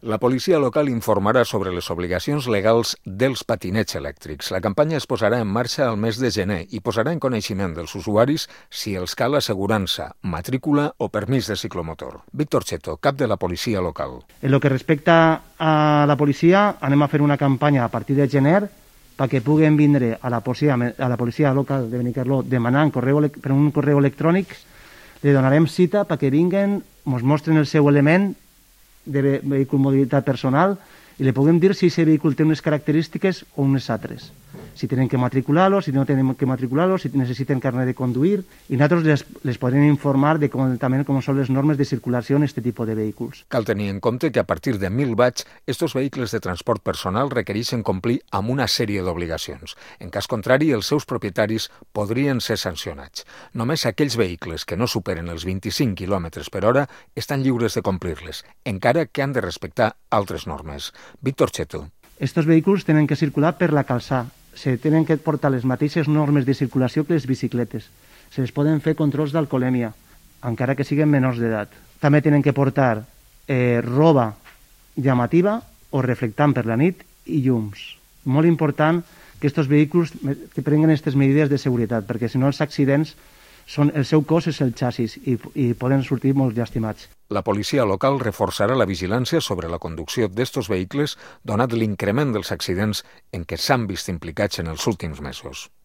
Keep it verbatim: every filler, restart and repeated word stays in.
La policia local informarà sobre les obligacions legals dels patinets elèctrics. La campanya es posarà en marxa al mes de gener i posarà en coneixement dels usuaris si els cal assegurança, matrícula o permís de ciclomotor. Víctor Cheto, cap de la policia local. En lo que respecta a la policia, anem a fer una campanya a partir de gener perquè puguen vindre a la policia, a la policia local de Benicarló demanant correu, per un correu electrònic. Li donarem cita perquè vinguen, ens mostren el seu element de vehícul mobilitat personal i li puguem dir si aquest vehícul té unes característiques o unes altres. Si tenen que matricular-lo, si no tenen que matricular-lo, si necessiten carnet de conduir, i nosaltres les, les podrem informar de com, també com són les normes de circulació en aquest tipus de vehicles. Cal tenir en compte que a partir de mil watts, estos vehicles de transport personal requereixen complir amb una sèrie d'obligacions. En cas contrari, els seus propietaris podrien ser sancionats. Només aquells vehicles que no superen els vint-i-cinc quilòmetres per hora estan lliures de complir-les, encara que han de respectar altres normes. Víctor Cheto. Estos vehicles tenen que circular per la calçada. Se tenen que portar les mateixes normes de circulació que les bicicletes. Se les poden fer controls d'alcoholèmia, encara que siguin menors d'edat. També tenen que portar eh, roba llamativa o reflectant per la nit i llums. Molt important que aquests vehicles que prenguen aquestes mesures de seguretat, perquè si no els accidents, són, el seu cos és el xassis i, i poden sortir molt llàstimats. La policia local reforçarà la vigilància sobre la conducció d'estos vehicles donat l'increment dels accidents en què s'han vist implicats en els últims mesos.